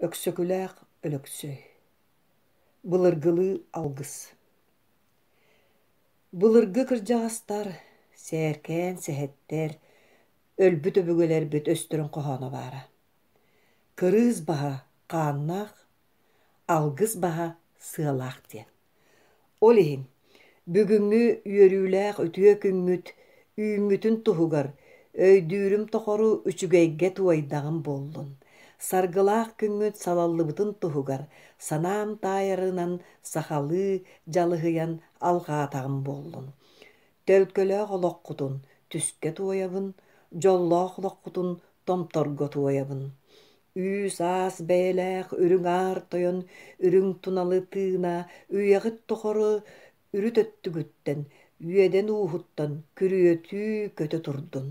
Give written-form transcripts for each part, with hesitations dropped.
Өксөкүлээх Өлөксөй Былыргылыы алгыс Былыргы кырдьаҕастар, сээркээн сэһэттэр, өлбүт өбүгэлэрбит өстөрүн хоһооно баара. Кырыыс баһа хааннаах, алгыс баһа сыалаах диэн. Ол иһин, бүгүҥҥү үөрүүлээх үтүө күммүт үүммүтүн туһугар өйдүүрүм тохору үчүгэйгэ туойдаҕым буоллун, саргылаах күҥҥүт салаллыбытын туһугар санаам таайарынан сахалыы дьалыһыйан алҕаатаҕым буоллун. Төлкөлөөх олоххутун түскэ туойабын, дьоллоох олоххутун томторго туойабын. Үүс-аас бэйэлээх үрүҥ аар тойон үрүҥ туналы тыына үйэҕит тухары үрүт өттүгүттэн, үөдэн ууһуттан күрүөтүү көтө турдун.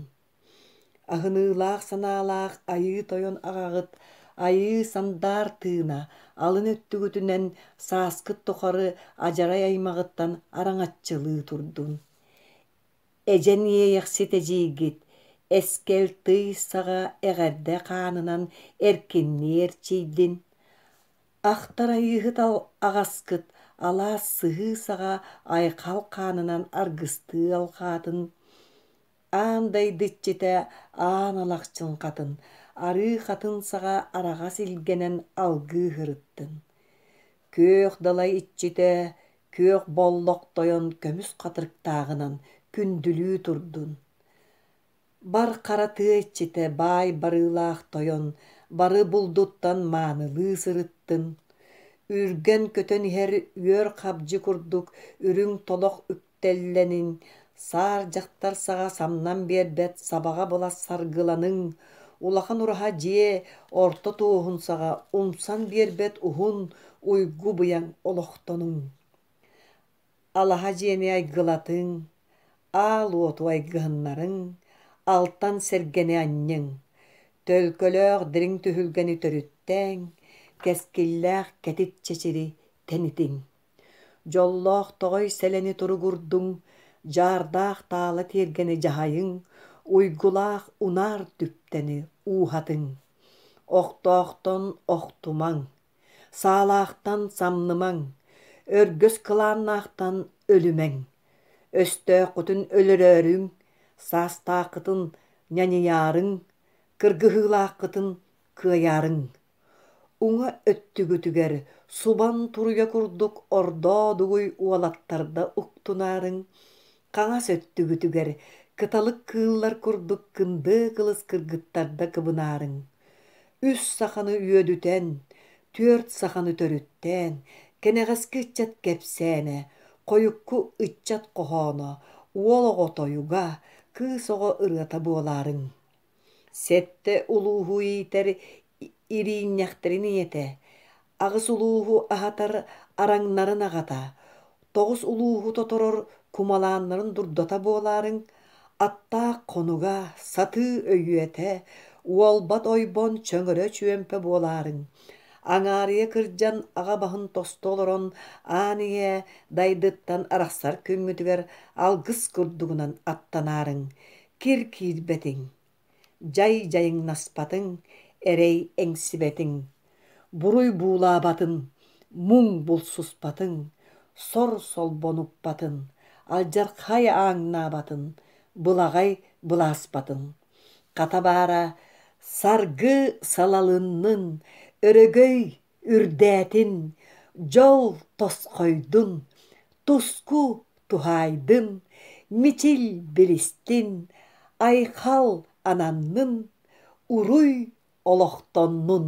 Аһыныылаах санаалаах Айыы Тойон аҕаҕыт Айыы сандаар тыына алын өттүгүтүнэн сааскыт тухары адьарай аймаҕыттан араҥаччылыы турдун. Эдьэн Иэйэхсит эдьиийгит Эскэл тый саҕа эҕэрдэ хаанынан эркиннии эрчийдин. Ахтар Айыыһыт аҕаскыт алаас сыһыы саҕа айхал хаанынан аргыстыы алҕаатын. Аан дайды иччитэ Аан Алахчын хатын, арыы хатын саҕа араҕас илгэнэн алгыы сырыттын. Күөх далай иччитэ Күөх Боллох тойон көмүс хатырыктааҕынан күндүлүү турдун. Бар хара тыа иччитэ баай барыылаах тойон бары булдуттан маанылыы сырыттын. Үргэн көтөн иһэр үөр хабдьы курдук үрүҥ толох үктэллэнин, саар дьахтар саҕа самнан биэрбэт сабаҕа былас саргыланыҥ, улахан ураһа дьиэ орто туоһун саҕа умсан биэрбэт уһун уйгу быйаҥ олохтонуҥ. Алаһа дьиэни айгылатыҥ, аал уоту айгыһыннарыҥ, алтан сэргэни анньыҥ, төлкөлөөх дириҥ түһүлгэни төрүттээҥ, кэскиллээх кэтит чэчири тэнитиҥ. Дьоллоох тоҕой сэлэни туругурдуҥ, дьаардаах таала тиэргэни дьаһайыҥ, уйгулаах унаар түптэни ууһатыҥ. Охтоохтон охтумаҥ, саалаахтан самнымаҥ, өргөс кылааннаахтан өлүмэҥ. Өстөөххүтүн өлөрөөрүҥ, саастааххытын ньаньыйаарыҥ, кыргыһыылааххытын кыайаарыҥ. Уҥа өттүгүтүгэр субан туруйа курдук ордоо-дугуй уолаттарда уктунаарыҥ, хаҥас өттүгүтүгэр кыталык кыыллар курдук кындыы кылыс кыргыттарда кыбынаарыҥ. Үс саханы үөдүтэн, түөрт саханы төрүттээн, кэнэҕэски ыччат кэпсээнэ, хойукку ыччат хоһооно, уол оҕо тойуга, кыыс оҕо ырыата буолаарыҥ. Сэттэ улууһу иитэр ириинньэхтэрин ийэтэ, аҕыс улууһу аһатар араҥнарын аҕата, тоҕус улууһу тоторор кумалааннарын дурдата буолаарыҥ, аттаах хонуга, сатыы өйүөтэ, уолбат ойбон чөҥөрө чүөмпэ буолаарыҥ. Аҥаарыйа кырдьан аҕа баһын тосту олорон аан ийэ дайдыттан арахсар күҥҥүтүгэр алгыс курдугунан аттанаарыҥ, кир киирбэтиҥ, дьай дьайыҥнаспатыҥ, эрэй эҥсибэтиҥ, буруй буулаабатын, муҥ булсуспатыҥ, сор солбонуппатын, алдьархай ааҥнаабатын, былаҕай былааспатын. Хата баара саргы салалыннын, өрөгөй үрдээтин, дьол тосхойдун, туску туһаайдын, мичил билистин, айхал ананнын, уруй олохтоннун.